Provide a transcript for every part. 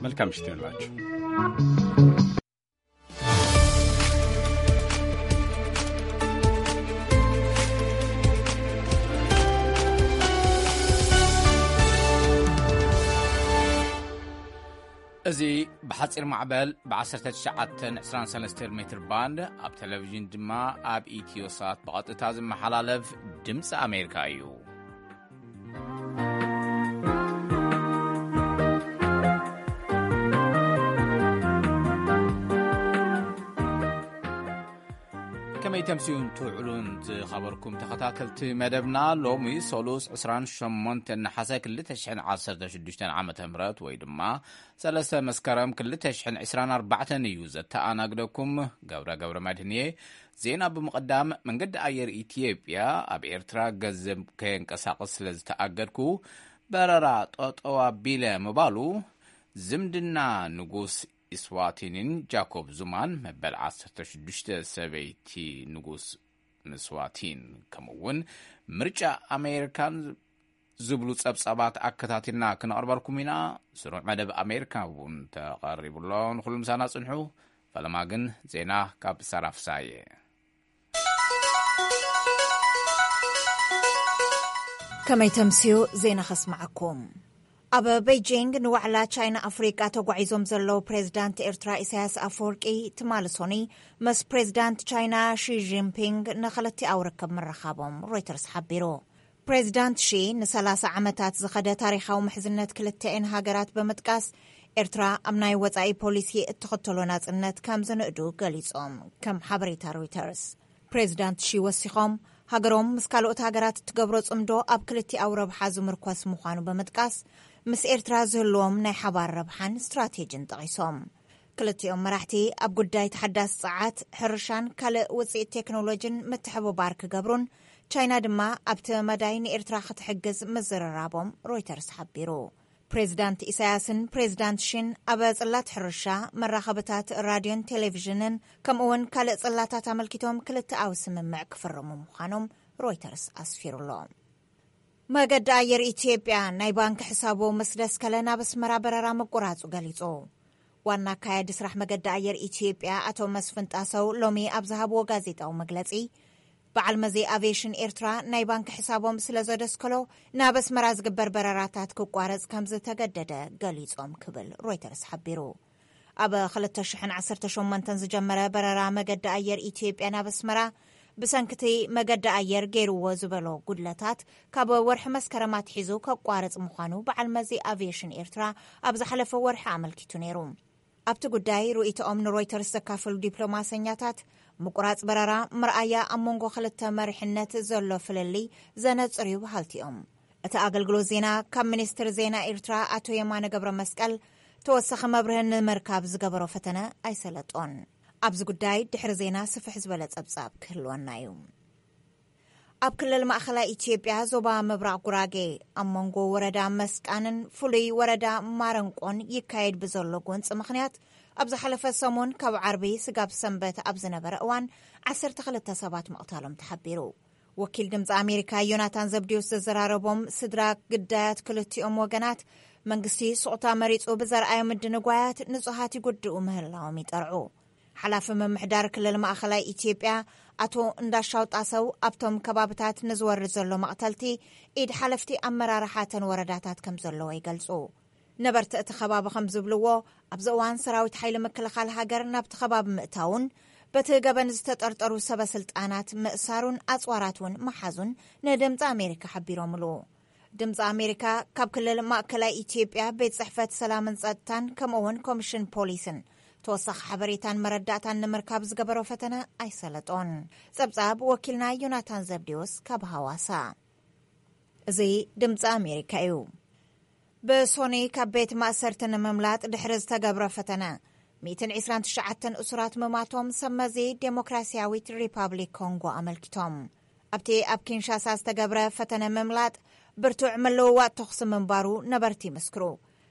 መልካም ምሽት ይሁንላችሁ። እዚ ብሓጺር ማዕበል ብ19 23 ሜትር ባንድ፣ ኣብ ቴሌቪዥን ድማ ኣብ ኢትዮ ሳት ብቐጥታ ዝመሓላለፍ ድምፂ ኣሜሪካ እዩ። ከመይ ተምስዩን ትውዕሉን ዝኸበርኩም ተኸታተልቲ መደብና፣ ሎሚ ሰሉስ 28 ነሓሰ 2016 ዓመተ ምህረት፣ ወይ ድማ 3 መስከረም 2024 እዩ። ዘተኣናግደኩም ገብረ ገብረ መድህን እየ። ዜና ብምቕዳም፣ መንገዲ ኣየር ኢትዮጵያ ኣብ ኤርትራ ገንዘብ ከየንቀሳቕስ ስለ ዝተኣገድኩ በረራ ጠጠው ኣቢለ ምባሉ፣ ዝምድና ንጉስ ኢስዋቲንን ጃኮብ ዙማን፣ መበል 16 ሰበይቲ ንጉስ ምስዋቲን፣ ከምኡ እውን ምርጫ ኣሜሪካን ዝብሉ ጸብጻባት ኣከታቲልና ክነቕርበልኩም ኢና። ስሩዕ መደብ ኣሜሪካ እውን ተቐሪቡ ኣሎ። ንኹሉ ምሳና ጽንሑ። ፈለማ ግን ዜና ካብ ሳራ ፍሳየ። ከመይ ተምስዩ ዜና ከስምዓኩም። ኣብ ቤጂንግ ንዋዕላ ቻይና ኣፍሪቃ ተጓዒዞም ዘለዉ ፕሬዚዳንት ኤርትራ ኢሳያስ ኣፈወርቂ ትማሊ ሶኒ ምስ ፕሬዚዳንት ቻይና ሺ ጂንፒንግ ንክልቲኣዊ ርክብ ምርኻቦም ሮይተርስ ሓቢሩ። ፕሬዚዳንት ሺ ን30 ዓመታት ዝኸደ ታሪኻዊ ምሕዝነት ክልተኤን ሃገራት ብምጥቃስ፣ ኤርትራ ኣብ ናይ ወጻኢ ፖሊሲ እትኽተሎ ናጽነት ከም ዝንእዱ ገሊጾም፣ ከም ሓበሬታ ሮይተርስ። ፕሬዚዳንት ሺ ወሲኾም፣ ሃገሮም ምስ ካልኦት ሃገራት እትገብሮ ጽምዶ ኣብ ክልቲኣዊ ረብሓ ዝምርኮስ ምዃኑ ብምጥቃስ፣ ምስ ኤርትራ ዝህልዎም ናይ ሓባር ረብሓን ስትራቴጂን ጠቒሶም። ክልቲኦም መራሕቲ ኣብ ጉዳይ ተሓዳሲ ጸዓት፣ ሕርሻን ካልእ ውጽኢት ቴክኖሎጂን ምትሕብባር ክገብሩን፣ ቻይና ድማ ኣብቲ መዳይ ንኤርትራ ክትሕግዝ ምዝርራቦም ሮይተርስ ሓቢሩ። ፕሬዚዳንት ኢሳያስን ፕሬዚዳንት ሺን ኣብ ጽላት ሕርሻ፣ መራኸብታት ራድዮን ቴሌቪዥንን፣ ከምኡ'ውን ካልእ ጽላታት ኣመልኪቶም ክልተኣዊ ስምምዕ ክፍርሙ ምዃኖም ሮይተርስ ኣስፊሩ'ሎ። መገዲ ኣየር ኢትዮጵያ ናይ ባንክ ሕሳቡ ምስ ደስከለ ናብ ኣስመራ በረራ ምቁራጹ ገሊጹ። ዋና ኣካያዲ ስራሕ መገዲ ኣየር ኢትዮጵያ ኣቶ መስፍን ጣሰው ሎሚ ኣብ ዝሃብዎ ጋዜጣዊ መግለጺ፣ በዓል መዚ ኣቪዬሽን ኤርትራ ናይ ባንክ ሕሳቦም ስለ ዘደስከሎ ናብ ኣስመራ ዝግበር በረራታት ክቋረጽ ከም ዝተገደደ ገሊጾም ክብል ሮይተርስ ሓቢሩ። ኣብ 2018 ዝጀመረ በረራ መገዲ ኣየር ኢትዮጵያ ናብ ኣስመራ ብሰንክቲ መገዲ ኣየር ገይርዎ ዝበሎ ጉድለታት ካብ ወርሒ መስከረም ኣትሒዙ ከቋርጽ ምዃኑ በዓል መዚ ኣቪዬሽን ኤርትራ ኣብ ዝሓለፈ ወርሒ ኣመልኪቱ ነይሩ። ኣብቲ ጉዳይ ርእይቶኦም ንሮይተርስ ዘካፈሉ ዲፕሎማሰኛታት፣ ምቁራጽ በረራ መርኣያ ኣብ መንጎ ክልተ መሪሕነት ዘሎ ፍልልይ ዘነጽር እዩ በሃልቲ እዮም። እቲ ኣገልግሎት ዜና ካብ ሚኒስትር ዜና ኤርትራ ኣቶ የማነ ገብረ መስቀል ተወሳኺ መብርህን ንምርካብ ዝገበሮ ፈተነ ኣይሰለጦን። ኣብዚ ጉዳይ ድሕሪ ዜና ስፍሕ ዝበለ ጸብጻብ ክህልወና እዩ። ኣብ ክልል ማእኸላይ ኢትዮጵያ ዞባ ምብራቕ ጉራጌ ኣብ መንጎ ወረዳ መስቃንን ፍሉይ ወረዳ ማረንቆን ይካየድ ብዘሎ ጎንፂ ምኽንያት፣ ኣብ ዝሓለፈ ሰሙን ካብ ዓርቢ ስጋብ ሰንበት ኣብ ዝነበረ እዋን 12 ሰባት ምቕታሎም ተሓቢሩ። ወኪል ድምፂ ኣሜሪካ ዮናታን ዘብዲዮስ ዘዘራረቦም ስድራ ግዳያት ክልቲኦም ወገናት፣ መንግስቲ ስቕታ መሪፁ ብዘርኣዮ ምድንጓያት ንፁሃት ይጉድኡ ምህላዎም ይጠርዑ። ሓላፊ ምምሕዳር ክልል ማእኸላይ ኢትዮጵያ ኣቶ እንዳሻው ጣሰው፣ ኣብቶም ከባብታት ንዝወርድ ዘሎ መቕተልቲ ኢድ ሓለፍቲ ኣመራርሓ ተን ወረዳታት ከም ዘለዎ ይገልጹ። ነበርቲ እቲ ከባቢ ከም ዝብልዎ፣ ኣብዚ እዋን ሰራዊት ሓይሊ ምክልኻል ሃገር ናብቲ ከባቢ ምእታውን በቲ ገበን ዝተጠርጠሩ ሰበ ስልጣናት ምእሳሩን ኣጽዋራት እውን መሓዙን ንድምፂ ኣሜሪካ ሓቢሮምሉ። ድምፂ ኣሜሪካ ካብ ክልል ማእከላይ ኢትዮጵያ ቤት ጽሕፈት ሰላምን ጸጥታን ከምኡ እውን ኮሚሽን ፖሊስን ተወሳኺ ሓበሬታን መረዳእታን ንምርካብ ዝገበሮ ፈተነ ኣይሰለጦን። ጸብጻብ ወኪልና ዮናታን ዘብዴዎስ ካብ ሃዋሳ። እዚ ድምፂ ኣሜሪካ እዩ። ብሶኒ ካብ ቤት ማእሰርቲ ንምምላጥ ድሕሪ ዝተገብረ ፈተነ፣ 129 እሱራት ምማቶም ሰብ መዚ ዴሞክራሲያዊት ሪፓብሊክ ኮንጎ ኣመልኪቶም። ኣብቲ ኣብ ኪንሻሳ ዝተገብረ ፈተነ ምምላጥ፣ ብርቱዕ ምልውዋጥ ተኹሲ ምንባሩ ነበርቲ ይምስክሩ።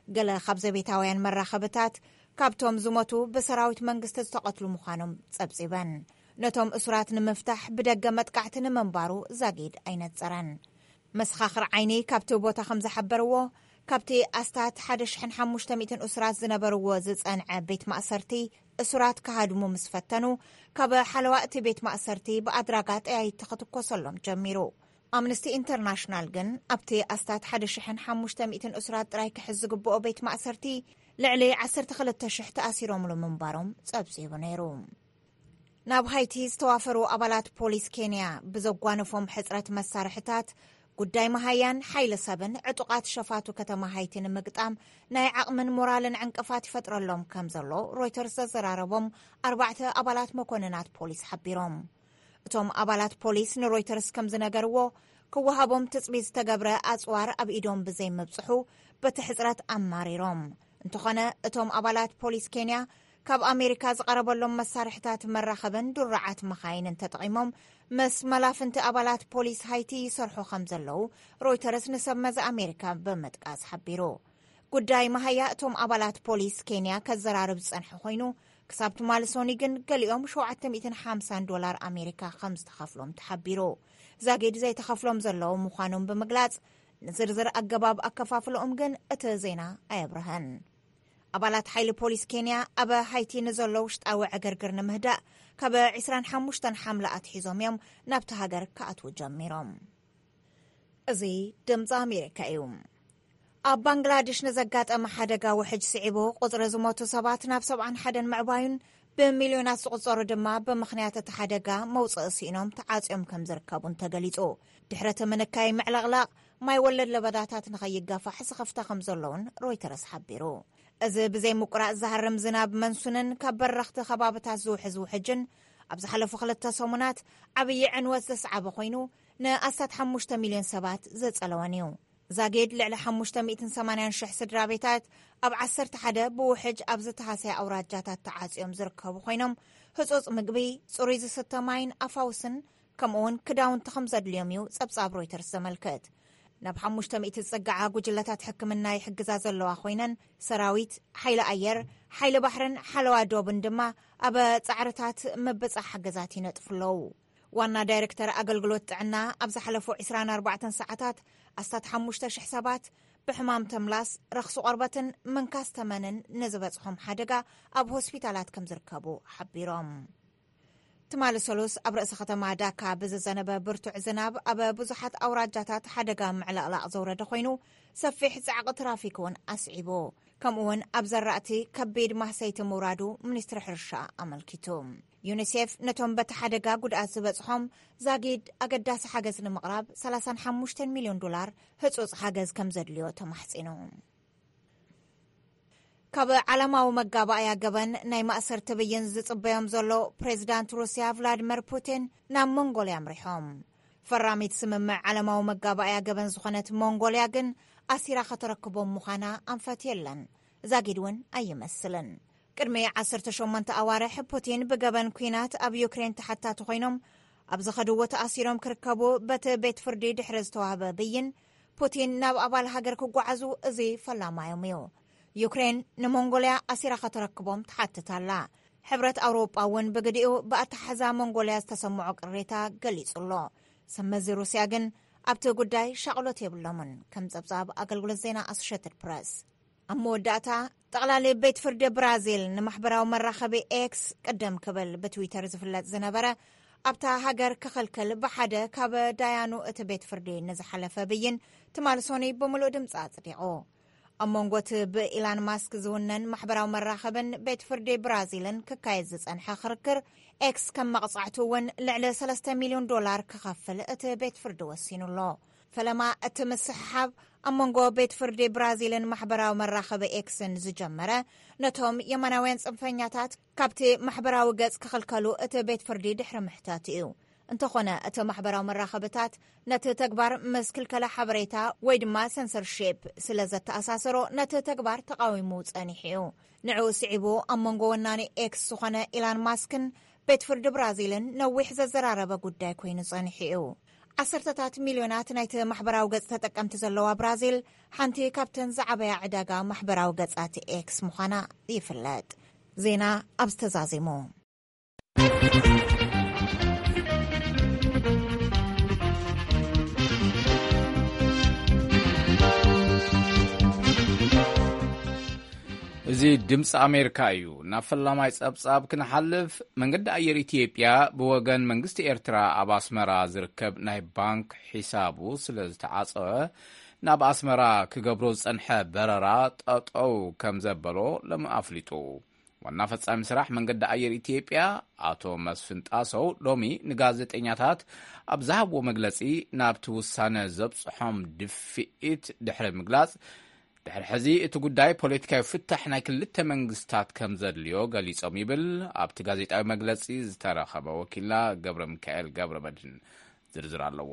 ገለ ካብ ዘቤታውያን መራኸብታት፣ ካብቶም ዝሞቱ ብሰራዊት መንግስቲ ዝተቐትሉ ምዃኖም ጸብጺበን። ነቶም እሱራት ንምፍታሕ ብደገ መጥቃዕቲ ንምንባሩ ዛጊድ ኣይነጸረን። መሰኻኽር ዓይኒ ካብቲ ቦታ ከም ዝሓበርዎ፣ ካብቲ ኣስታት ሓደ ሽሕን ሓሙሽተ ሚእትን እሱራት ዝነበርዎ ዝጸንዐ ቤት ማእሰርቲ፣ እሱራት ክሃድሙ ምስ ፈተኑ፣ ካብ ሓለዋ እቲ ቤት ማእሰርቲ ብኣድራጋ ጠያይቲ ክትኮሰሎም ጀሚሩ። ኣምነስቲ ኢንተርናሽናል ግን ኣብቲ ኣስታት ሓደ ሽሕን ሓሙሽተ ሚእትን እሱራት ጥራይ ክሕዝ ዝግብኦ ቤት ማእሰርቲ፣ ልዕሊ ዓሰርተ ክልተ ሽሕ ተኣሲሮምሉ ምንባሮም ጸብጺቡ ነይሩ። ናብ ሃይቲ ዝተዋፈሩ ኣባላት ፖሊስ ኬንያ ብዘጓነፎም ሕጽረት መሳርሕታት፣ ጉዳይ መሃያን ሓይሊ ሰብን ዕጡቓት ሸፋቱ ከተማ ሃይቲ ንምግጣም ናይ ዓቕምን ሞራልን ዕንቅፋት ይፈጥረሎም ከም ዘሎ ሮይተርስ ዘዘራረቦም ኣርባዕተ ኣባላት መኮንናት ፖሊስ ሓቢሮም። እቶም ኣባላት ፖሊስ ንሮይተርስ ከም ዝነገርዎ፣ ክወሃቦም ትጽቢት ዝተገብረ ኣጽዋር ኣብ ኢዶም ብዘይምብጽሑ፣ በቲ ሕጽረት ኣማሪሮም። እንተኾነ፣ እቶም ኣባላት ፖሊስ ኬንያ ካብ ኣሜሪካ ዝቐረበሎም መሳርሕታት መራኸብን ድሩዓት መኻይንን ተጠቒሞም ምስ መላፍንቲ ኣባላት ፖሊስ ሃይቲ ይሰርሑ ከም ዘለዉ ሮይተርስ ንሰብ መዚ ኣሜሪካ ብምጥቃስ ሓቢሩ። ጉዳይ መሃያ እቶም ኣባላት ፖሊስ ኬንያ ከዘራርብ ዝጸንሐ ኮይኑ፣ ክሳብ ትማሊ ሶኒ ግን ገሊኦም ሸውዓተ ሚእትን ሓምሳን ዶላር ኣሜሪካ ከም ዝተኸፍሎም ተሓቢሩ። ዛጊድ ዘይተኸፍሎም ዘለዉ ምዃኖም ብምግላጽ፣ ንዝርዝር ኣገባብ ኣከፋፍለኦም ግን እቲ ዜና ኣየብርሀን። ኣባላት ሓይሊ ፖሊስ ኬንያ ኣብ ሃይቲ ንዘሎ ውሽጣዊ ዕግርግር ንምህዳእ፣ ካብ ዕስራን ሓሙሽተን ሓምለ ኣትሒዞም እዮም ናብቲ ሃገር ክኣትዉ ጀሚሮም። እዚ ድምፂ ኣሜሪካ እዩ። ኣብ ባንግላዴሽ ንዘጋጠመ ሓደጋ ውሕጅ ስዒቡ፣ ቁፅሪ ዝሞቱ ሰባት ናብ ሰብዓን ሓደን ምዕባዩን፣ ብሚልዮናት ዝቑጸሩ ድማ ብምኽንያት እቲ ሓደጋ መውጽኢ ስኢኖም ተዓጽዮም ከም ዝርከቡን ተገሊጹ። ድሕሪ እቲ ምንካይ ምዕልቕላቕ ማይ ወለድ ለበዳታት ንኸይጋፋሕ ስኽፍታ ከም ዘለውን ሮይተርስ ሓቢሩ። እዚ ብዘይ ምቁራጽ ዝሃርም ዝናብ መንሱንን ካብ በረኽቲ ከባብታት ዝውሕዝ ውሕጅን ኣብ ዝሓለፉ ክልተ ሰሙናት ዓብዪ ዕንወት ዘስዓበ ኮይኑ፣ ንኣስታት ሓሙሽተ ሚልዮን ሰባት ዘጸለወን እዩ። ዛጊድ ልዕሊ ሓሙሽተ ሚእትን ሰማንያን ሽሕ ስድራ ቤታት ኣብ ዓሰርተ ሓደ ብውሕጅ ኣብ ዝተሃሰያ ኣውራጃታት ተዓጽዮም ዝርከቡ ኮይኖም፣ ህጹጽ ምግቢ፣ ጽሩይ ዝስተ ማይን ኣፋውስን፣ ከምኡውን ክዳውንቲ ከም ዘድልዮም እዩ ጸብጻብ ሮይተርስ ዘመልክት። ናብ ሓሙሽተ ሚእቲ ዝጽግዓ ጉጅለታት ሕክምና ይሕግዛ ዘለዋ ኮይነን፣ ሰራዊት፣ ሓይሊ ኣየር፣ ሓይሊ ባሕርን ሓለዋ ዶብን ድማ ኣብ ጻዕርታት ምብጻሕ ሓገዛት ይነጥፉ ኣለዉ። ዋና ዳይሬክተር ኣገልግሎት ጥዕና፣ ኣብ ዝሓለፉ ዕስራን ኣርባዕተን ሰዓታት ኣስታት ሓሙሽተ ሽሕ ሰባት ብሕማም ተምላስ፣ ረኽሲ ቆርበትን ምንካስ ተመንን ንዝበጽሖም ሓደጋ ኣብ ሆስፒታላት ከም ዝርከቡ ሓቢሮም። ትማሊ ሰሉስ ኣብ ርእሰ ከተማ ዳካ ብዝዘነበ ብርቱዕ ዝናብ ኣብ ብዙሓት ኣውራጃታት ሓደጋ ምዕልቕላቕ ዘውረደ ኮይኑ፣ ሰፊሕ ጻዕቂ ትራፊክ እውን ኣስዒቡ። ከምኡውን ኣብ ዘራእቲ ከቢድ ማህሰይቲ ምውራዱ ሚኒስትሪ ሕርሻ ኣመልኪቱ። ዩኒሴፍ ነቶም በቲ ሓደጋ ጉድኣት ዝበጽሖም ዛጊድ ኣገዳሲ ሓገዝ ንምቕራብ ሰላሳን ሓሙሽተን ሚልዮን ዶላር ህጹጽ ሓገዝ ከም ዘድልዮ ተማሕጺኑ። ካብ ዓለማዊ መጋባእያ ገበን ናይ ማእሰርቲ ብይን ዝጽበዮም ዘሎ ፕሬዚዳንት ሩስያ ቭላድመር ፑቲን ናብ ሞንጎልያ ኣምሪሖም። ፈራሚት ስምምዕ ዓለማዊ መጋባእያ ገበን ዝኾነት ሞንጎልያ ግን ኣሲራ ከተረክቦም ምዃና ኣንፈት የለን። ዛጊድ እውን ኣይመስልን። ቅድሚ ዓሰርተ ሸሞንተ ኣዋርሕ ፑቲን ብገበን ኲናት ኣብ ዩክሬን ተሓታቲ ኮይኖም ኣብ ዝኸድዎ ተኣሲሮም ክርከቡ በቲ ቤት ፍርዲ ድሕሪ ዝተዋህበ ብይን፣ ፑቲን ናብ ኣባል ሃገር ክጓዓዙ እዚ ፈላማዮም እዩ። ዩክሬን ንሞንጎልያ ኣሲራ ከተረክቦም ትሓትት ኣላ። ሕብረት ኣውሮጳ እውን ብግዲኡ ብኣተሓሕዛ ሞንጎልያ ዝተሰምዖ ቅሬታ ገሊጹ ኣሎ። ሰመዚ ሩስያ ግን ኣብቲ ጉዳይ ሻቕሎት የብሎምን፣ ከም ጸብጻብ ኣገልግሎት ዜና ኣሶሼትድ ፕረስ። ኣብ መወዳእታ፣ ጠቕላሊ ቤት ፍርዲ ብራዚል ንማሕበራዊ መራኸቢ ኤክስ፣ ቅድም ክብል ብትዊተር ዝፍለጥ ዝነበረ፣ ኣብታ ሃገር ክኽልክል ብሓደ ካብ ዳያኑ እቲ ቤት ፍርዲ ንዝሓለፈ ብይን ትማሊ ሶኒ ብምሉእ ድምፂ ኣጽዲቑ። ኣብ መንጎ እቲ ብኢላን ማስክ ዝውነን ማሕበራዊ መራኸብን ቤት ፍርዲ ብራዚልን ክካየድ ዝጸንሐ ክርክር፣ ኤክስ ከም መቕጻዕቱ እውን ልዕሊ ሰለስተ ሚልዮን ዶላር ክኸፍል እቲ ቤት ፍርዲ ወሲኑ ኣሎ። ፈለማ እቲ ምስሕሓብ ኣብ መንጎ ቤት ፍርዲ ብራዚልን ማሕበራዊ መራኸቢ ኤክስን ዝጀመረ፣ ነቶም የማናውያን ጽንፈኛታት ካብቲ ማሕበራዊ ገጽ ክኽልከሉ እቲ ቤት ፍርዲ ድሕሪ ምሕታት እዩ። እንተኾነ፣ እቲ ማሕበራዊ መራኸብታት ነቲ ተግባር ምስ ክልከላ ሓበሬታ ወይ ድማ ሰንሰርሺፕ ስለ ዘተኣሳሰሮ፣ ነቲ ተግባር ተቓዊሙ ጸኒሑ እዩ። ንዕኡ ስዒቡ፣ ኣብ መንጎ ወናኒ ኤክስ ዝኾነ ኢላን ማስክን ቤት ፍርዲ ብራዚልን ነዊሕ ዘዘራረበ ጉዳይ ኮይኑ ጸኒሑ እዩ። ዓሰርተታት ሚልዮናት ናይቲ ማሕበራዊ ገጽ ተጠቀምቲ ዘለዋ ብራዚል፣ ሓንቲ ካብተን ዝዓበያ ዕዳጋ ማሕበራዊ ገጻት ኤክስ ምዃና ይፍለጥ። ዜና ኣብዚ ተዛዚሙ። እዚ ድምፂ ኣሜሪካ እዩ። ናብ ፈላማይ ፀብፃብ ክንሓልፍ፣ መንገዲ ኣየር ኢትዮጵያ ብወገን መንግስቲ ኤርትራ ኣብ ኣስመራ ዝርከብ ናይ ባንክ ሒሳቡ ስለ ዝተዓፀወ፣ ናብ ኣስመራ ክገብሮ ዝፀንሐ በረራ ጠጠው ከም ዘበሎ ሎሚ ኣፍሊጡ። ዋና ፈጻሚ ስራሕ መንገዲ ኣየር ኢትዮጵያ ኣቶ መስፍን ጣሰው ሎሚ ንጋዜጠኛታት ኣብ ዝሃብዎ መግለጺ፣ ናብቲ ውሳነ ዘብጽሖም ድፍኢት ድሕሪ ምግላጽ፣ ድሕሪ ሕዚ እቲ ጉዳይ ፖለቲካዊ ፍታሕ ናይ ክልተ መንግስታት ከም ዘድልዮ ገሊጾም ይብል ኣብቲ ጋዜጣዊ መግለጺ ዝተረኸበ ወኪልና ገብረ ሚካኤል ገብረ መድህን። ዝርዝር ኣለዎ።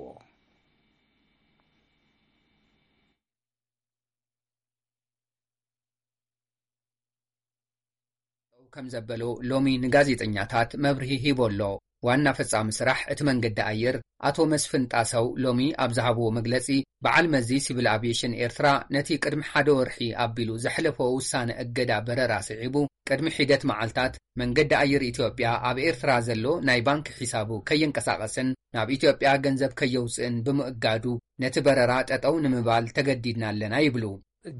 ከም ዘበሎ ሎሚ ንጋዜጠኛታት መብርሂ ሂቡ ኣሎ። ዋና ፈጻሚ ስራሕ እቲ መንገዲ ኣየር ኣቶ መስፍን ጣሰው ሎሚ ኣብ ዝሃብዎ መግለጺ፣ በዓል መዚ ሲቪል ኣቪዬሽን ኤርትራ ነቲ ቅድሚ ሓደ ወርሒ ኣቢሉ ዘሕለፎ ውሳነ እገዳ በረራ ስዒቡ፣ ቅድሚ ሒደት መዓልታት መንገዲ ኣየር ኢትዮጵያ ኣብ ኤርትራ ዘሎ ናይ ባንክ ሒሳቡ ከየንቀሳቐስን ናብ ኢትዮጵያ ገንዘብ ከየውጽእን ብምእጋዱ፣ ነቲ በረራ ጠጠው ንምባል ተገዲድና ኣለና ይብሉ።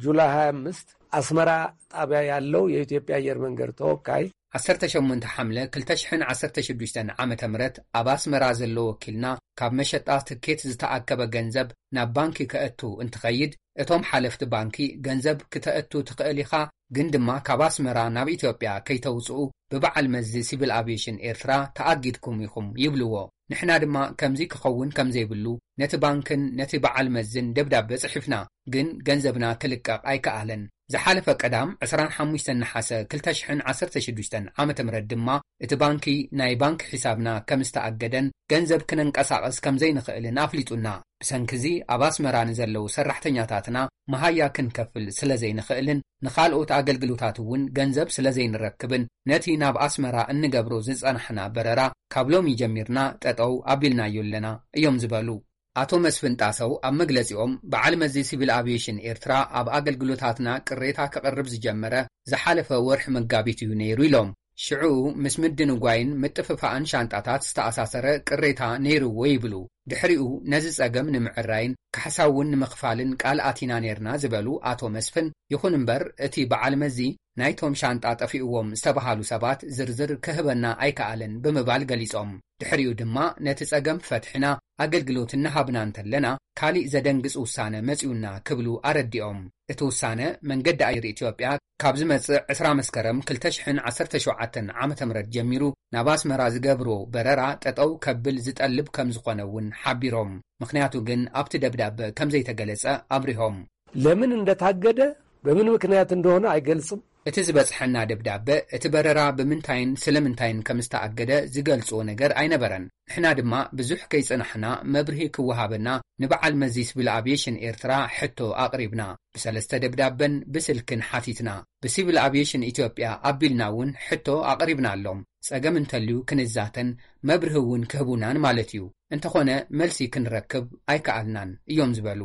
ጁላይ ሃያ ኣምስት አስመራ ጣቢያ ያለው የኢትዮጵያ አየር መንገድ ተወካይ፣ ዓሰርተ ሸሞንተ ሓምለ ክልተ ሽሕን ዓሰርተ ሽዱሽተን ዓመተ ምህረት ኣብ ኣስመራ ዘሎ ወኪልና፣ ካብ መሸጣ ትኬት ዝተኣከበ ገንዘብ ናብ ባንኪ ከእቱ እንትኸይድ፣ እቶም ሓለፍቲ ባንኪ፣ "ገንዘብ ክተእቱ ትኽእል ኢኻ፣ ግን ድማ ካብ ኣስመራ ናብ ኢትዮጵያ ከይተውጽኡ ብበዓል መዚ ሲቪል ኣቪዬሽን ኤርትራ ተኣጊድኩም ኢኹም" ይብልዎ። ንሕና ድማ ከምዚ ክኸውን ከም ዘይብሉ ነቲ ባንክን ነቲ በዓል መዝን ደብዳበ ጽሒፍና፣ ግን ገንዘብና ክልቀቕ ኣይከኣለን። ዝሓለፈ ቀዳም ዕስራን ሓሙሽተን ነሓሰ ክልተ ሽሕን ዓሰርተ ሽዱሽተን ዓመተ ምህረት ድማ እቲ ባንኪ ናይ ባንክ ሒሳብና ከም ዝተኣገደን ገንዘብ ክነንቀሳቕስ ከም ዘይንኽእልን ኣፍሊጡና። ብሰንኪ እዚ ኣብ ኣስመራ ንዘለዉ ሰራሕተኛታትና መሃያ ክንከፍል ስለ ዘይንኽእልን ንኻልኦት ኣገልግሎታት እውን ገንዘብ ስለ ዘይንረክብን ነቲ ናብ ኣስመራ እንገብሮ ዝጸናሕና በረራ ካብ ሎሚ ጀሚርና ጠጠው ኣቢልናዮ ኣለና እዮም ዝበሉ። ኣቶ መስፍን ጣሰው ኣብ መግለጺኦም፣ በዓል መዚ ሲቪል ኣቪዬሽን ኤርትራ ኣብ ኣገልግሎታትና ቅሬታ ከቕርብ ዝጀመረ ዝሓለፈ ወርሒ መጋቢት እዩ ነይሩ ኢሎም። ሽዑኡ ምስ ምድንጓይን ምጥፍፋእን ሻንጣታት ዝተኣሳሰረ ቅሬታ ነይርዎ ይብሉ። ድሕሪኡ ነዚ ጸገም ንምዕራይን ካሕሳ እውን ንምኽፋልን ቃል ኣቲና ነይርና ዝበሉ ኣቶ መስፍን፣ ይኹን እምበር እቲ በዓል መዚ ናይቶም ሻንጣ ጠፊእዎም ዝተባሃሉ ሰባት ዝርዝር ክህበና ኣይከኣለን ብምባል ገሊጾም። ድሕሪኡ ድማ ነቲ ጸገም ፈትሒና ኣገልግሎት እናሃብና እንተለና፣ ካሊእ ዘደንግጽ ውሳነ መጺኡና ክብሉ ኣረዲኦም። እቲ ውሳነ፣ መንገዲ ኣየር ኢትዮጵያ ካብ ዝመጽእ ዕስራ መስከረም ክልተ ሽሕን ዓሰርተ ሸውዓተን ዓመተ ምህረት ጀሚሩ ናብ ኣስመራ ዝገብሮ በረራ ጠጠው ከብል ዝጠልብ ከም ዝኾነ እውን ሓቢሮም። ምኽንያቱ ግን ኣብቲ ደብዳበ ከም ዘይተገለጸ ኣብሪሆም። ለምን እንደታገደ፣ በምን ምክንያት እንደሆነ አይገልጽም። እቲ ዝበጽሐና ደብዳበ፣ እቲ በረራ ብምንታይን ስለምንታይን ከም ዝተኣገደ ዝገልጾ ነገር ኣይነበረን። ንሕና ድማ ብዙሕ ከይጸናሕና መብርሂ ክወሃበና ንበዓል መዚ ሲቪል ኣቪዬሽን ኤርትራ ሕቶ ኣቕሪብና። ብሰለስተ ደብዳበን ብስልክን ሓቲትና። ብሲቪል ኣቪዬሽን ኢትዮጵያ ኣቢልና እውን ሕቶ ኣቕሪብናሎም። ጸገም እንተልዩ ክንዛተን መብርሂ እውን ክህቡናን ማለት እዩ። እንተኾነ መልሲ ክንረክብ ኣይከኣልናን እዮም ዝበሉ።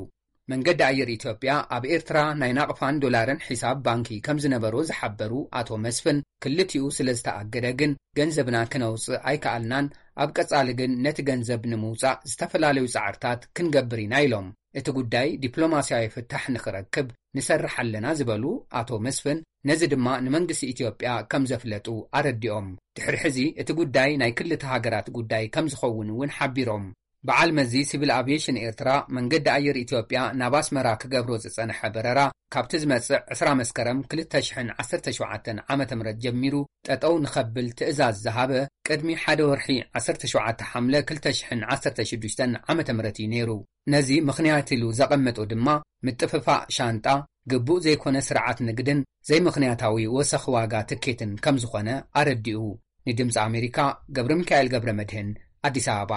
መንገዲ ኣየር ኢትዮጵያ ኣብ ኤርትራ ናይ ናቕፋን ዶላርን ሒሳብ ባንኪ ከም ዝነበሮ ዝሓበሩ ኣቶ መስፍን፣ ክልቲኡ ስለ ዝተኣገደ ግን ገንዘብና ክነውጽእ ኣይከኣልናን፣ ኣብ ቀጻሊ ግን ነቲ ገንዘብ ንምውጻእ ዝተፈላለዩ ጻዕርታት ክንገብር ኢና ኢሎም። እቲ ጉዳይ ዲፕሎማስያዊ ፍታሕ ንኽረክብ ንሰርሕ ኣለና ዝበሉ ኣቶ መስፍን፣ ነዚ ድማ ንመንግስቲ ኢትዮጵያ ከም ዘፍለጡ ኣረዲኦም። ድሕሪ ሕዚ እቲ ጉዳይ ናይ ክልተ ሃገራት ጉዳይ ከም ዝኸውን እውን ሓቢሮም። በዓል መዚ ሲቪል ኣቪዬሽን ኤርትራ፣ መንገዲ ኣየር ኢትዮጵያ ናብ ኣስመራ ክገብሮ ዝጸንሐ በረራ ካብቲ ዝመጽእ ዕስራ መስከረም ክልተ ሽሕን ዓሰርተ ሸውዓተን ዓመተ ምህረት ጀሚሩ ጠጠው ንኸብል ትእዛዝ ዝሃበ ቅድሚ ሓደ ወርሒ ዓሰርተ ሸውዓተ ሓምለ ክልተ ሽሕን ዓሰርተ ሽዱሽተን ዓመተ ምህረት እዩ ነይሩ። ነዚ ምኽንያት ኢሉ ዘቐመጦ ድማ ምጥፍፋእ ሻንጣ፣ ግቡእ ዘይኮነ ስርዓት ንግድን ዘይምኽንያታዊ ወሰኽ ዋጋ ትኬትን ከም ዝኾነ ኣረዲኡ። ንድምፂ ኣሜሪካ ገብረ ሚካኤል ገብረ መድህን፣ ኣዲስ ኣበባ።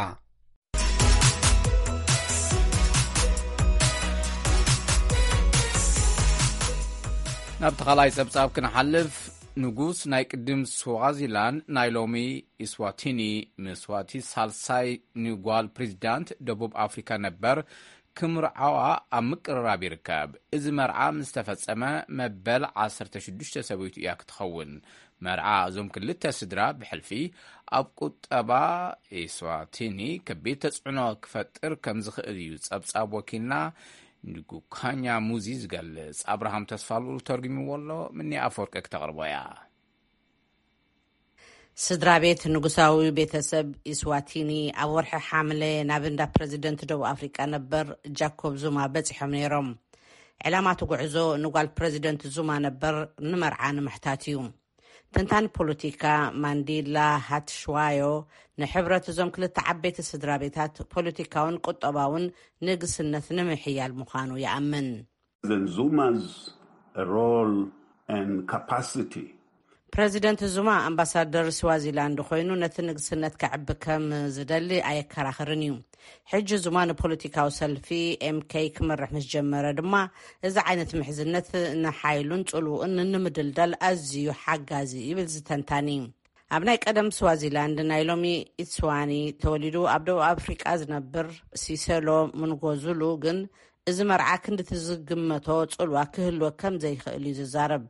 ናብቲ ካልኣይ ጸብጻብ ክንሓልፍ፣ ንጉስ ናይ ቅድም ስዋዚላንድ ናይ ሎሚ ኢስዋቲኒ ምስዋቲ ሳልሳይ ንጓል ፕሬዚዳንት ደቡብ ኣፍሪካ ነበር ክምርዓዋ ኣብ ምቅርራብ ይርከብ። እዚ መርዓ ምስ ተፈጸመ መበል ዓሰርተ ሽዱሽተ ሰበይቱ እያ ክትኸውን። መርዓ እዞም ክልተ ስድራ ብሕልፊ ኣብ ቁጠባ ኢስዋቲኒ ከቢድ ተጽዕኖ ክፈጥር ከም ዝኽእል እዩ ጸብጻብ ወኪልና ንጉካኛ ሙዚ ዝገልጽ ኣብርሃም ተስፋልኡል ተርጉምዎ ኣሎ። ምኒ ኣፈወርቂ ክተቕርቦ እያ። ስድራ ቤት ንጉሳዊ ቤተሰብ ኢስዋቲኒ ኣብ ወርሒ ሓምለ ናብ እንዳ ፕረዚደንት ደቡብ ኣፍሪቃ ነበር ጃኮብ ዙማ በጺሖም ነይሮም። ዕላማ እቲ ጉዕዞ ንጓል ፕረዚደንት ዙማ ነበር ንመርዓ ንምሕታት እዩ። ተንታኒ ፖለቲካ ማንዲላ ሃትሽዋዮ ንሕብረት እዞም ክልተ ዓበይቲ ስድራ ቤታት ፖለቲካውን ቁጠባውን ንግስነት ንምሕያል ምዃኑ ይኣምን። Then Zuma's role and capacity. ፕረዚደንት ዙማ ኣምባሳደር ስዋዚላንድ ኮይኑ ነቲ ንግስነት ከዕቢ ከም ዝደሊ ኣየከራኽርን እዩ። ሕጂ ዙማ ንፖለቲካዊ ሰልፊ ኤምኬይ ክመርሕ ምስ ጀመረ ድማ እዚ ዓይነት ምሕዝነት ንሓይሉን ጽልውኡን ንምድልዳል ኣዝዩ ሓጋዚ ይብል ዝተንታኒ። ኣብ ናይ ቀደም ስዋዚላንድ ናይ ሎሚ ኢትስዋኒ ተወሊዱ ኣብ ደቡብ ኣፍሪቃ ዝነብር ሲሰሎ ምንጎዙሉ ግን እዚ መርዓ ክንድቲ ዝግመቶ ጽልዋ ክህልወ ከም ዘይኽእል እዩ ዝዛረብ።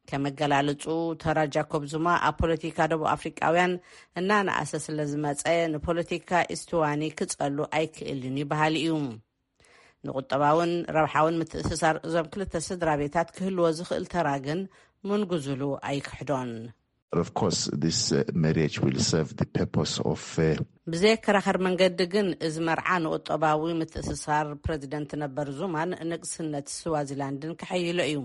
ከመገላልጹ ተራ ጃኮብ ዙማ ኣብ ፖለቲካ ደቡብ ኣፍሪቃውያን እናነኣሰ ስለ ዝመጸ ንፖለቲካ ኢስትዋኒ ክጸሉ ኣይክእልን እዩ በሃሊ እዩ። ንቁጠባውን ረብሓውን ምትእስሳር እዞም ክልተ ስድራ ቤታት ክህልዎ ዝኽእል ተራ ግን ምንጉዝሉ ኣይክሕዶን። Of course, this uh, marriage will serve the purpose of uh, ብዘየከራኸር መንገዲ ግን እዚ መርዓ ንቁጠባዊ ምትእስሳር ፕረዚደንት ነበር ዙማን ንግስነት ስዋዚላንድን ከሐይሎ እዩ።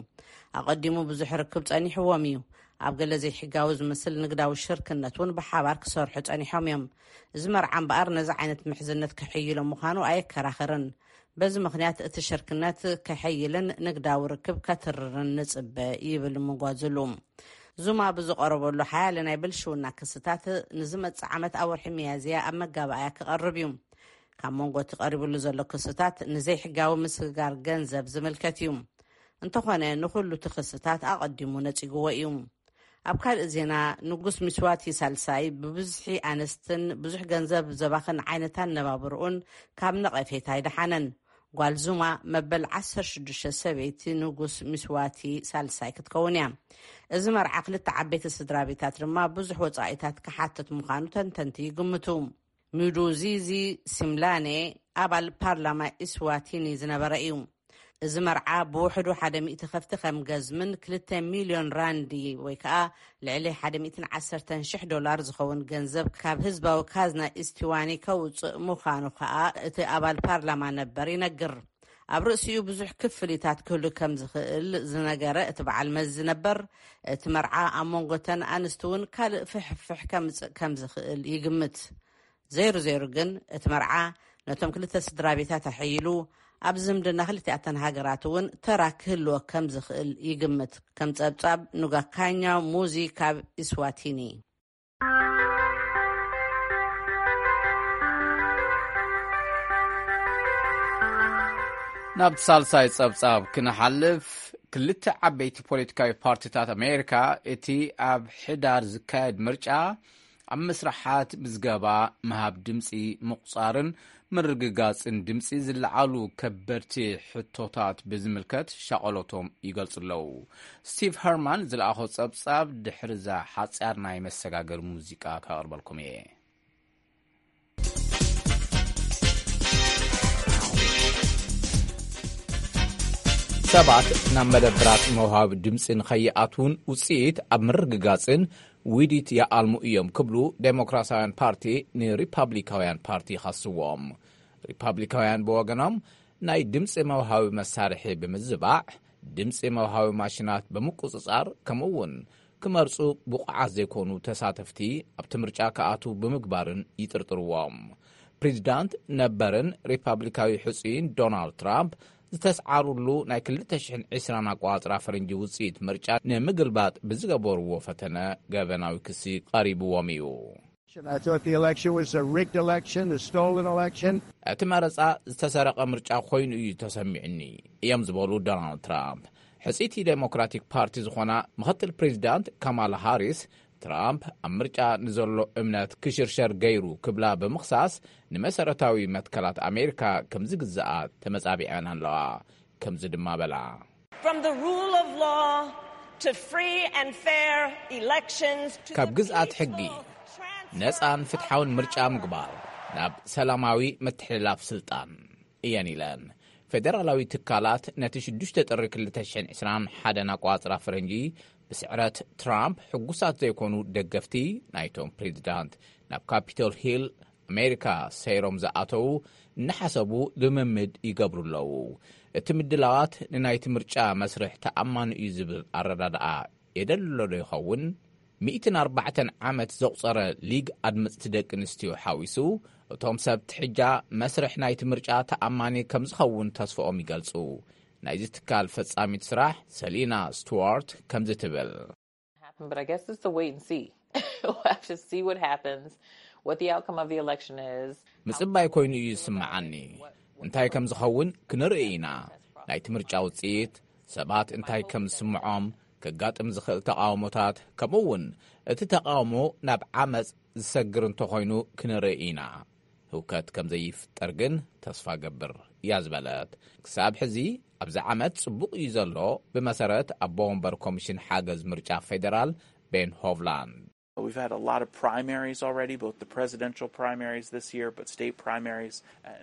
ኣቐዲሙ ብዙሕ ርክብ ጸኒሕዎም እዩ። ኣብ ገለ ዘይሕጋዊ ዝመስል ንግዳዊ ሽርክነት እውን ብሓባር ክሰርሑ ጸኒሖም እዮም። እዚ መርዓ እምበኣር ነዚ ዓይነት ምሕዝነት ከሐይሎ ምዃኑ ኣየከራኸርን። በዚ ምኽንያት እቲ ሽርክነት ከሐይልን ንግዳዊ ርክብ ከትርርን ንጽበ ይብል ምጓዝሉ። ዙማ ብዝቐረበሉ ሓያለ ናይ ብልሽውና ክስታት ንዝመጽእ ዓመት ኣብ ወርሒ ሚያዝያ ኣብ መጋባእያ ክቐርብ እዩ። ካብ መንጎ እቲ ቀሪብሉ ዘሎ ክስታት ንዘይሕጋዊ ምስግጋር ገንዘብ ዝምልከት እዩ። እንተኾነ ንኹሉ እቲ ክስታት ኣቐዲሙ ነጺግዎ እዩ። ኣብ ካልእ ዜና ንጉስ ሚስዋቲ ሳልሳይ ብብዝሒ ኣንስትን ብዙሕ ገንዘብ ዘባኽን ዓይነት ኣነባብርኡን ካብ ነቐፌታ ኣይደሓነን። ጓል ዙማ መበል ዓሰርተ ሽዱሽተ ሰበይቲ ንጉስ ሚስዋቲ ሳልሳይ ክትከውን እያ። እዚ መርዓ ክልተ ዓበይቲ ስድራ ቤታት ድማ ብዙሕ ወጻኢታት ክሓትት ምዃኑ ተንተንቲ ይግምቱ። ሚዱዚዚ ሲምላኔ ኣባል ፓርላማ ኢስዋቲኒ ዝነበረ እዩ። እዚ መርዓ ብውሕዱ ሓደ ሚእቲ ከፍቲ ከም ገዝምን ክልተ ሚልዮን ራንዲ ወይ ከዓ ልዕሊ ሓደ ሚእትን ዓሰርተን ሽሕ ዶላር ዝኸውን ገንዘብ ካብ ህዝባዊ ካዝና ኢስቲዋኒ ከውፅእ ምዃኑ ከዓ እቲ ኣባል ፓርላማ ነበር ይነግር። ኣብ ርእሲኡ ብዙሕ ክፍሊታት ክህሉ ከም ዝኽእል ዝነገረ እቲ በዓል መዚ ነበር፣ እቲ መርዓ ኣብ መንጎተን ኣንስቲ እውን ካልእ ፍሕፍሕ ከምፅእ ከም ዝኽእል ይግምት። ዘይሩ ዘይሩ ግን እቲ መርዓ ነቶም ክልተ ስድራ ቤታት ኣሐይሉ ኣብ ዝምድና ክልቲኣተን ሃገራት እውን ተራ ክህልዎ ከም ዝኽእል ይግምት። ከም ጸብጻብ ኑጋካኛ ሙዚ ካብ ኢስዋቲኒ። ናብ ሳልሳይ ጸብጻብ ክንሓልፍ፣ ክልተ ዓበይቲ ፖለቲካዊ ፓርቲታት ኣሜሪካ እቲ ኣብ ሕዳር ዝካየድ ምርጫ ኣብ መስርሓት ምዝገባ፣ ምሃብ ድምፂ፣ ምቑፃርን ምርግጋፅን ድምፂ ዝለዓሉ ከበድቲ ሕቶታት ብዝምልከት ሻቐሎቶም ይገልፁ ኣለዉ። ስቲቭ ሀርማን ዝለኣኾ ፀብፃብ ድሕሪ እዛ ሓፂር ናይ መሰጋገሪ ሙዚቃ ከቕርበልኩም እየ። ሰባት ናብ መደብራት መውሃቢ ድምፂ ንኸይኣትውን ውፅኢት ኣብ ምርግጋፅን ውዲት ይኣልሙ እዮም ክብሉ ዴሞክራሲያውያን ፓርቲ ንሪፓብሊካውያን ፓርቲ ይኸስዎም። ሪፓብሊካውያን ብወገኖም ናይ ድምፂ መውሃቢ መሳርሒ ብምዝባዕ፣ ድምፂ መውሃቢ ማሽናት ብምቁፅፃር፣ ከምኡ እውን ክመርፁ ብቑዓት ዘይኮኑ ተሳተፍቲ ኣብቲ ምርጫ ክኣትዉ ብምግባርን ይጥርጥርዎም። ፕሬዚዳንት ነበርን ሪፓብሊካዊ ሕፁይን ዶናልድ ትራምፕ ዝተስዓሩሉ ናይ ክልተ ሽሕን ዕስራን ኣቋፅራ ፈረንጂ ውፅኢት ምርጫ ንምግልባጥ ብዝገበርዎ ፈተነ ገበናዊ ክሲ ቀሪብዎም እዩ። I thought the election was a rigged election, a stolen election. እቲ መረፃ ዝተሰረቐ ምርጫ ኮይኑ እዩ ተሰሚዕኒ እዮም ዝበሉ ዶናልድ ትራምፕ። ሕፅይቲ ዴሞክራቲክ ፓርቲ ዝኾና ምኽትል ፕሬዚዳንት ካማላ ሃሪስ ትራምፕ ኣብ ምርጫ ንዘሎ እምነት ክሽርሸር ገይሩ ክብላ ብምኽሳስ ንመሰረታዊ መትከላት ኣሜሪካ ከምዝግዝኣ ተመፃቢዐን ኣለዋ። ከምዚ ድማ በላ። From the rule of law to free and fair elections to ካብ ግዝኣት ሕጊ ነፃን ፍትሓውን ምርጫ ምግባር ናብ ሰላማዊ ምትሕልላፍ ስልጣን እየን ኢለን። ፌደራላዊ ትካላት ነቲ ሽዱሽተ ጥሪ ክልተ ሽሕን ዕስራን ሓደን ኣቋጽራ ፈረንጂ ብስዕረት ትራምፕ ሕጉሳት ዘይኮኑ ደገፍቲ ናይቶም ፕሬዚዳንት ናብ ካፒቶል ሂል ኣሜሪካ ሰይሮም ዝኣተዉ እናሓሰቡ ልምምድ ይገብሩ ኣለዉ። እቲ ምድላዋት ንናይቲ ምርጫ መስርሕ ተኣማኒ እዩ ዝብል ኣረዳድኣ የደልሎ ዶ ይኸውን? ሚእትን ኣርባዕተን ዓመት ዘቑጸረ ሊግ ኣድመጽቲ ደቂ ኣንስትዮ ሓዊሱ፣ እቶም ሰብ ትሕጃ መስርሕ ናይቲ ምርጫ ተኣማኒ ከም ዝኸውን ተስፋኦም ይገልጹ። ናይዚ ትካል ፈጻሚት ስራሕ ሰሊና ስቱዋርት ከምዚ ትብል። But I guess it's a wait and see. We'll have to see what happens, what the outcome of the election is. ምጽባይ ኮይኑ እዩ ዝስምዓኒ። እንታይ ከም ዝኸውን ክንርኢ ኢና። ናይቲ ምርጫ ውጽኢት፣ ሰባት እንታይ ከም ዝስምዖም፣ ከጋጥም ዝኽእል ተቓውሞታት፣ ከምኡ እውን እቲ ተቓውሞ ናብ ዓመጽ ዝሰግር እንተኾይኑ ክንርኢ ኢና። ህውከት ከም ዘይፍጠር ግን ተስፋ ገብር እያ ዝበለት። ክሳብ ሕዚ ኣብዚ ዓመት ጽቡቕ እዩ ዘሎ፣ ብመሰረት ኣቦ ወንበር ኮሚሽን ሓገዝ ምርጫ ፌደራል ቤን ሆቭላንድ። We've had a lot of primaries already, both the presidential primaries this year, but state primaries.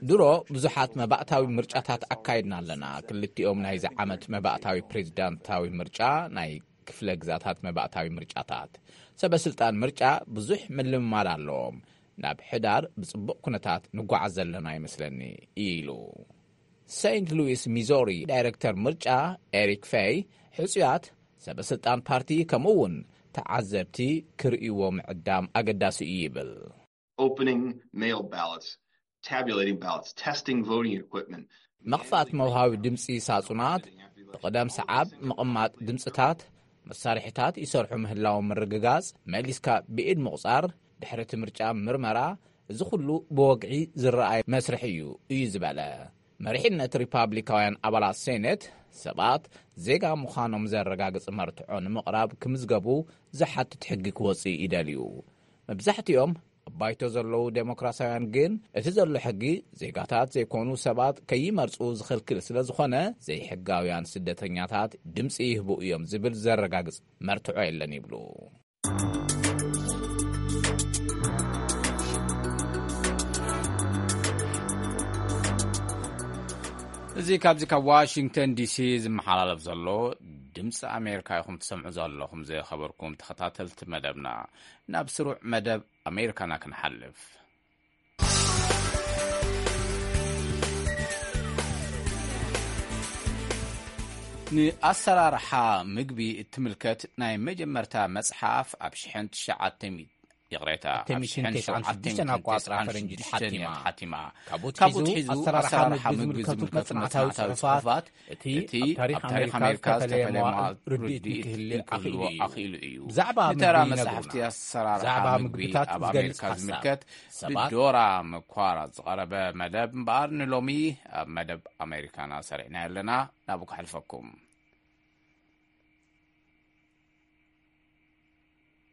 ድሮ ብዙሓት መባእታዊ ምርጫታት ኣካይድና ኣለና። ክልቲኦም ናይዚ ዓመት መባእታዊ ፕሬዚዳንታዊ ምርጫ ናይ ክፍለ ግዛታት መባእታዊ ምርጫታት። ሰበ ስልጣን ምርጫ ብዙሕ ምልምማድ ኣለዎም። ናብ ሕዳር ብጽቡቕ ኩነታት ንጓዓዝ ዘለና ይመስለኒ ኢሉ። ሴንት ሉዊስ ሚዞሪ ዳይረክተር ምርጫ ኤሪክ ፌይ ሕጹያት ሰበ ስልጣን ፓርቲ ከምኡ እውን ተዓዘብቲ ክርእይዎ ምዕዳም ኣገዳሲ እዩ ይብል። Opening mail ballots, tabulating ballots, testing voting equipment. ምኽፋት መውሃቢ ድምፂ ሳጹናት፣ ብቕደም ሰዓብ ምቕማጥ ድምፅታት፣ መሳርሒታት ይሰርሑ ምህላዎም ምርግጋጽ፣ መሊስካ ብኢድ ምቑጻር፣ ድሕሪ እቲ ምርጫ ምርመራ፣ እዚ ኩሉ ብወግዒ ዝረኣይ መስርሕ እዩ እዩ ዝበለ መሪሕነት ሪፓብሊካውያን ኣባላት ሴኔት፣ ሰባት ዜጋ ምዃኖም ዘረጋግጽ መርትዖ ንምቕራብ ክምዝገቡ ዝሓትት ሕጊ ክወጽእ ይደልዩ። መብዛሕትኦም ኣብ ባይቶ ዘለዉ ዴሞክራሲያውያን ግን እቲ ዘሎ ሕጊ ዜጋታት ዘይኮኑ ሰባት ከይመርጹ ዝኽልክል ስለ ዝኾነ ዘይሕጋውያን ስደተኛታት ድምጺ ይህቡ እዮም ዝብል ዘረጋግጽ መርትዖ የለን ይብሉ። እዚ ካብዚ ካብ ዋሽንግተን ዲሲ ዝመሓላለፍ ዘሎ ድምፂ ኣሜሪካ ኢኹም ትሰምዑ ዘለኹም። ዝኸበርኩም ተኸታተልቲ መደብና፣ ናብ ስሩዕ መደብ ኣሜሪካና ክንሓልፍ። ንኣሰራርሓ ምግቢ እትምልከት ናይ መጀመርታ መጽሓፍ ኣብ ሽሕን ትሽዓተ ሚእቲ ይቕሬታ፣ ኣብ ሽሕን ሸውዓተ ሚእትን ተስዓን ሽዱሽተን ኣቋጽራ ፈረንጂ ተሓቲማ። ሓቲማ። ካብኡ ትሒዙ ኣሰራርሓ ምግቢ ዝምልከቱ መጽናዕታዊ ጽሑፋት፣ እቲ ኣብ ታሪኽ ኣሜሪካ ዝተፈለየ መዋእል ርድኢት ንክህሊ ኣኽኢሉ እዩ። ብዛዕባ ንተራ መጽሓፍቲ ኣሰራርሓ ምግቢ ኣብ ኣሜሪካ ዝምልከት ብዶራ መኳራት ዝቐረበ መደብ እምበኣር፣ ንሎሚ ኣብ መደብ ኣሜሪካና ሰሪዕና ኣለና። ናብኡ ከሕልፈኩም።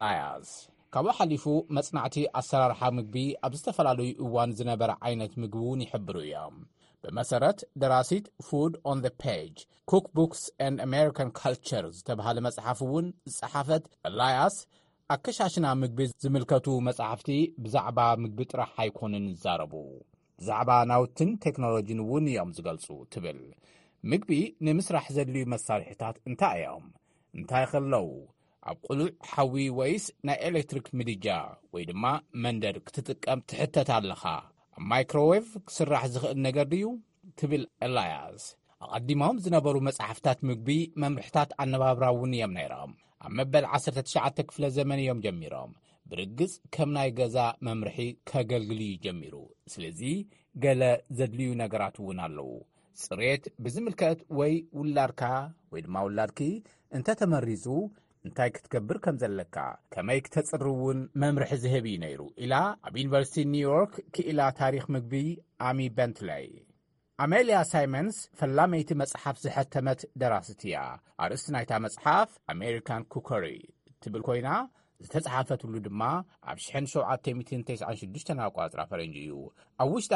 ኣያዝ ካብኡ ሓሊፉ፣ መጽናዕቲ ኣሰራርሓ ምግቢ ኣብ ዝተፈላለዩ እዋን ዝነበረ ዓይነት ምግቢ እውን ይሕብሩ እዮም። ብመሰረት ደራሲት Food on the Page, Cookbooks and American Culture ዝተባህለ መጽሓፍ እውን ዝጸሓፈት ኤላያስ፣ ኣከሻሽና ምግቢ ዝምልከቱ መጻሕፍቲ ብዛዕባ ምግቢ ጥራሕ ኣይኮኑን ዝዛረቡ፣ ብዛዕባ ናውትን ቴክኖሎጂን እውን እዮም ዝገልጹ ትብል። ምግቢ ንምስራሕ ዘድልዩ መሳርሒታት እንታይ እዮም? እንታይ ከለዉ? ኣብ ቅሉዕ ሓዊ ወይስ ናይ ኤሌክትሪክ ምድጃ ወይ ድማ መንደድ ክትጥቀም ትሕተት ኣለኻ? ኣብ ማይክሮዌቭ ክስራሕ ዝኽእል ነገር ድዩ? ትብል ኤላያስ። ኣቐዲሞም ዝነበሩ መጻሕፍታት ምግቢ መምርሕታት ኣነባብራ እውን እዮም ነይሮም። ኣብ መበል ዓሰርተ ትሽዓተ ክፍለ ዘመን እዮም ጀሚሮም። ብርግጽ ከም ናይ ገዛ መምርሒ ከገልግል እዩ ጀሚሩ። ስለዚ ገለ ዘድልዩ ነገራት እውን ኣለዉ። ጽሬት ብዝምልከት ወይ ውላድካ ወይ ድማ ውላድኪ እንተተመሪዙ እንታይ ክትገብር ከም ዘለካ፣ ከመይ ክተጽሪ እውን መምርሒ ዝህብ እዩ ነይሩ ኢላ ኣብ ዩኒቨርሲቲ ኒውዮርክ ክኢላ ታሪኽ ምግቢ ኣሚ በንትለይ። ኣሜልያ ሳይመንስ ፈላመይቲ መጽሓፍ ዝሐተመት ደራሲት እያ። ኣርእስቲ ናይታ መጽሓፍ ኣሜሪካን ኩከሪ ትብል ኮይና፣ ዝተጽሓፈትሉ ድማ ኣብ ሽሕን ሸውዓተ ሚእትን ተስዓን ሽዱሽተን ኣቋጽራ ፈረንጂ እዩ። ኣብ ውሽጣ፣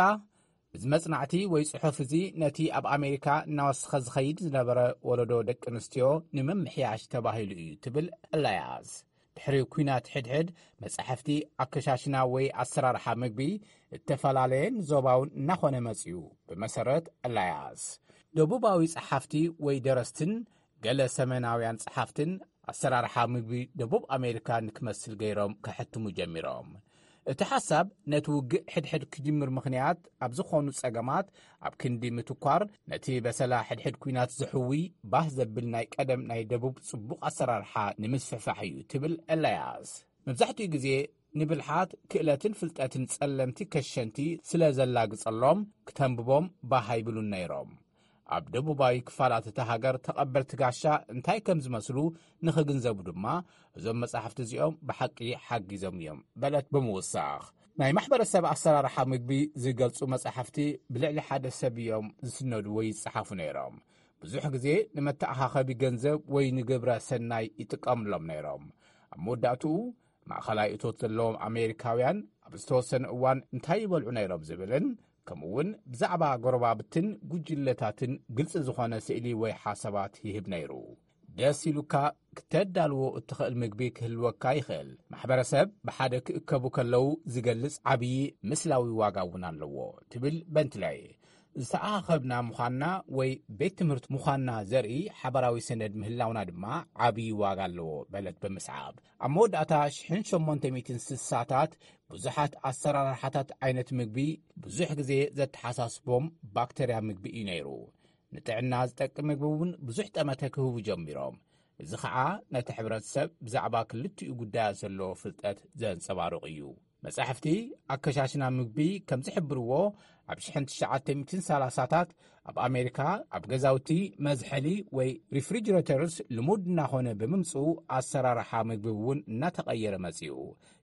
እዚ መጽናዕቲ ወይ ጽሑፍ እዚ ነቲ ኣብ ኣሜሪካ እናወሰኸ ዝኸይድ ዝነበረ ወለዶ ደቂ ኣንስትዮ ንምምሕያሽ ተባሂሉ እዩ ትብል ኤላያስ። ድሕሪ ኲናት ሕድሕድ መጻሕፍቲ ኣከሻሽና ወይ ኣሰራርሓ ምግቢ እተፈላለየን ዞባውን እናኾነ መጺኡ። ብመሰረት ኤላያስ፣ ደቡባዊ ጸሓፍቲ ወይ ደረስትን ገለ ሰሜናውያን ጸሓፍትን ኣሰራርሓ ምግቢ ደቡብ ኣሜሪካ ንክመስል ገይሮም ከሕትሙ ጀሚሮም። እቲ ሓሳብ ነቲ ውግእ ሕድሕድ ክጅምር ምኽንያት ኣብ ዝኾኑ ጸገማት ኣብ ክንዲ ምትኳር፣ ነቲ በሰላ ሕድሕድ ኲናት ዝሕዊ ባህ ዘብል ናይ ቀደም ናይ ደቡብ ጽቡቕ ኣሰራርሓ ንምስፍሕፋሕ እዩ ትብል ኤላያስ። መብዛሕትኡ ግዜ ንብልሓት፣ ክእለትን ፍልጠትን ጸለምቲ ከሸንቲ ስለ ዘላግጸሎም፣ ክተንብቦም ባህ ኣይብሉን ነይሮም። ኣብ ደቡባዊ ክፋላት እታ ሃገር ተቐበልቲ ጋሻ እንታይ ከም ዝመስሉ ንኽግንዘቡ ድማ፣ እዞም መጻሕፍቲ እዚኦም ብሓቂ ሓጊዞም እዮም በለት ብምውሳኽ። ናይ ማሕበረሰብ ኣሰራርሓ ምግቢ ዝገልጹ መጻሕፍቲ ብልዕሊ ሓደ ሰብ እዮም ዝስነዱ ወይ ይጸሓፉ ነይሮም። ብዙሕ ግዜ ንመተኣኻኸቢ ገንዘብ ወይ ንግብረ ሰናይ ይጥቀምሎም ነይሮም። ኣብ መወዳእትኡ፣ ማእኸላይ እቶት ዘለዎም ኣሜሪካውያን ኣብ ዝተወሰነ እዋን እንታይ ይበልዑ ነይሮም ዝብልን፣ ከምኡውን ብዛዕባ ጎረባብትን ጉጅለታትን ግልጺ ዝኾነ ስእሊ ወይ ሓሳባት ይህብ ነይሩ። ደስ ኢሉካ ክተዳልዎ እትኽእል ምግቢ ክህልወካ ይኽእል። ማሕበረሰብ ብሓደ ክእከቡ ከለዉ ዝገልጽ ዓብዪ ምስላዊ ዋጋ እውን ኣለዎ ትብል በንትለይ። ዝተኣኻኸብና ምዃንና ወይ ቤት ትምህርቲ ምዃንና ዘርኢ ሓባራዊ ሰነድ ምህላውና ድማ ዓብዪ ዋጋ ኣለዎ በለት ብምስዓብ። ኣብ መወዳእታ ሽሕን ሸሞንተ ሚእትን ስሳታት ብዙሓት ኣሰራርሓታት ዓይነት ምግቢ ብዙሕ ግዜ ዘተሓሳስቦም ባክተርያ ምግቢ እዩ ነይሩ። ንጥዕና ዝጠቅም ምግቢ እውን ብዙሕ ጠመተ ክህቡ ጀሚሮም። እዚ ኸዓ ነቲ ሕብረተሰብ ብዛዕባ ክልቲኡ ጉዳያት ዘለዎ ፍልጠት ዘንጸባርቕ እዩ። መጻሕፍቲ ኣከሻሽና ምግቢ ከም ዝሕብርዎ፣ ኣብ ሽሕን ትሽዓተ ሚእትን ሰላሳታት ኣብ ኣሜሪካ ኣብ ገዛውቲ መዝሐሊ ወይ ሪፍሪጅሬተርስ ልሙድ እናኾነ ብምምጽኡ፣ ኣሰራርሓ ምግቢ እውን እናተቐየረ መጺኡ።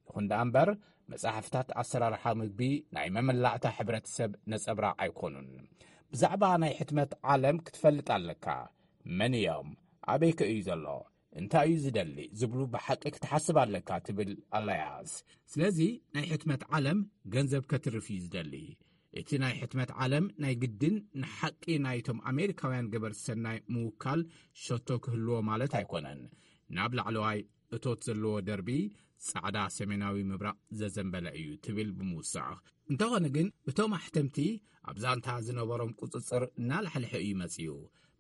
ይኹን ደኣ እምበር፣ መጻሕፍታት ኣሰራርሓ ምግቢ ናይ መመላእታ ሕብረተሰብ ነጸብራቕ ኣይኮኑን። ብዛዕባ ናይ ሕትመት ዓለም ክትፈልጥ ኣለካ። መን እዮም? ኣበይ ከ እዩ ዘሎ? እንታይ እዩ ዝደሊ? ዝብሉ ብሓቂ ክትሓስብ ኣለካ ትብል ኣላያስ። ስለዚ ናይ ሕትመት ዓለም ገንዘብ ከትርፍ እዩ ዝደሊ። እቲ ናይ ሕትመት ዓለም ናይ ግድን ንሓቂ ናይቶም ኣሜሪካውያን ገበርቲ ሰናይ ምውካል ሸቶ ክህልዎ ማለት ኣይኮነን። ናብ ላዕለዋይ እቶት ዘለዎ ደርቢ ጻዕዳ ሰሜናዊ ምብራቕ ዘዘንበለ እዩ ትብል ብምውሳኽ። እንተኾነ ግን እቶም ኣሕተምቲ ኣብ ዛንታ ዝነበሮም ቁጽጽር እናላሕልሐ እዩ መጺኡ።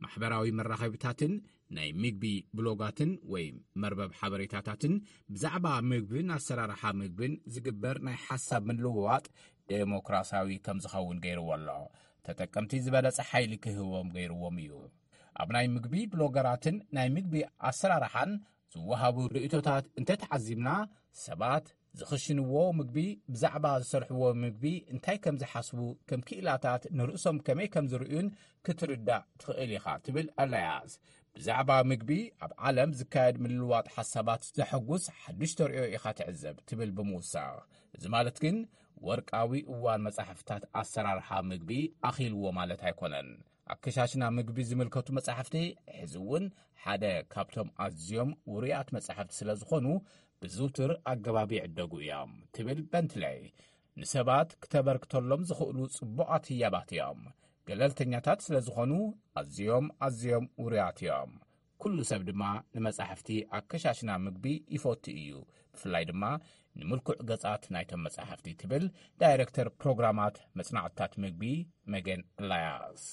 ማሕበራዊ መራኸቢታትን ናይ ምግቢ ብሎጋትን ወይ መርበብ ሓበሬታታትን ብዛዕባ ምግብን ኣሰራርሓ ምግብን ዝግበር ናይ ሓሳብ ምልውዋጥ ዴሞክራሲያዊ ከም ዝኸውን ገይርዎ ኣሎ። ተጠቀምቲ ዝበለጸ ሓይሊ ክህቦም ገይርዎም እዩ። ኣብ ናይ ምግቢ ብሎገራትን ናይ ምግቢ ኣሰራርሓን ዝወሃቡ ርእይቶታት እንተተዓዚብና፣ ሰባት ዝኽሽንዎ ምግቢ፣ ብዛዕባ ዝሰርሕዎ ምግቢ እንታይ ከም ዝሓስቡ፣ ከም ክኢላታት ንርእሶም ከመይ ከም ዝርእዩን ክትርዳእ ትኽእል ኢኻ ትብል ኣላያስ። ብዛዕባ ምግቢ ኣብ ዓለም ዝካየድ ምልልዋጥ ሓሳባት ዘሐጉስ ሓድሽ ተርእዮ ኢኻ ትዕዘብ ትብል ብምውሳኽ፣ እዚ ማለት ግን ወርቃዊ እዋን መጻሕፍታት ኣሰራርሓ ምግቢ ኣኺልዎ ማለት ኣይኮነን። ኣከሻሽና ምግቢ ዝምልከቱ መጻሕፍቲ ሕዚ እውን ሓደ ካብቶም ኣዝዮም ውሩያት መጻሕፍቲ ስለ ዝኾኑ፣ ብዝውትር ኣገባብ ይዕደጉ እዮም ትብል በንትለይ። ንሰባት ክተበርክተሎም ዝኽእሉ ጽቡቓት ህያባት እዮም። ገለልተኛታት ስለ ዝኾኑ፣ ኣዝዮም ኣዝዮም ውሩያት እዮም። ኩሉ ሰብ ድማ ንመጻሕፍቲ ኣከሻሽና ምግቢ ይፈቱ እዩ፣ ብፍላይ ድማ ንምልኩዕ ገጻት ናይቶም መጻሕፍቲ ትብል ዳይሬክተር ፕሮግራማት መጽናዕትታት ምግቢ መገን ኣላያስ።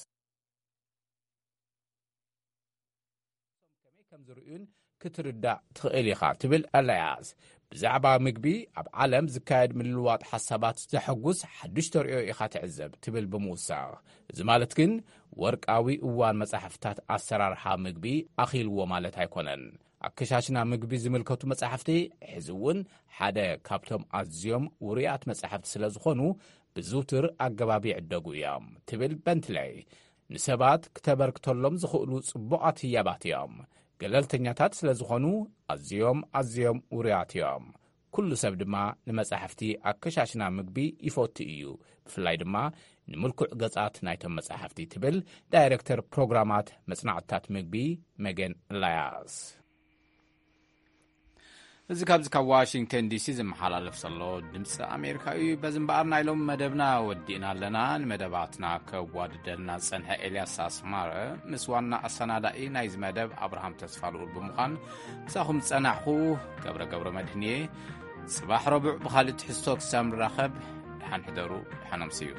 ከመይ ከም ዝርእዩን ክትርዳእ ትኽእል ኢኻ ትብል ኣላያስ። ብዛዕባ ምግቢ ኣብ ዓለም ዝካየድ ምልልዋጥ ሓሳባት ዘሐጉስ ሓድሽ ተርእዮ ኢኻ ትዕዘብ ትብል ብምውሳኽ፣ እዚ ማለት ግን ወርቃዊ እዋን መጻሕፍታት ኣሰራርሓ ምግቢ ኣኺልዎ ማለት ኣይኮነን። ኣከሻሽና ምግቢ ዝምልከቱ መጻሕፍቲ ሕዚ እውን ሓደ ካብቶም ኣዝዮም ውሩያት መጻሕፍቲ ስለ ዝኾኑ፣ ብዝውትር ኣገባብ ይዕደጉ እዮም ትብል በንትለይ። ንሰባት ክተበርክተሎም ዝኽእሉ ጽቡቓት ህያባት እዮም። ገለልተኛታት ስለ ዝኾኑ፣ ኣዝዮም ኣዝዮም ውሩያት እዮም። ኩሉ ሰብ ድማ ንመጻሕፍቲ ኣከሻሽና ምግቢ ይፈቱ እዩ፣ ብፍላይ ድማ ንምልኩዕ ገጻት ናይቶም መጻሕፍቲ ትብል ዳይሬክተር ፕሮግራማት መጽናዕትታት ምግቢ መገን ላያስ። እዚ ካብዚ ካብ ዋሽንግተን ዲሲ ዝመሓላለፍ ዘሎ ድምፂ ኣሜሪካ እዩ። በዚ እምበኣር ናይ ሎም መደብና ወዲእና ኣለና። ንመደባትና ከዋድደልና ዝጸንሐ ኤልያስ ኣስማረ ምስ ዋና ኣሰናዳኢ ናይዚ መደብ ኣብርሃም ተስፋ ልኡል ብምዃን ምሳኹም ዝጸናሕኹ ገብረ ገብረ መድህንየ። ጽባሕ ረቡዕ ብኻልእ ትሕዝቶ ክሳብ ንራኸብ፣ ደሓን ሕደሩ፣ ደሓን ኣምስዩ።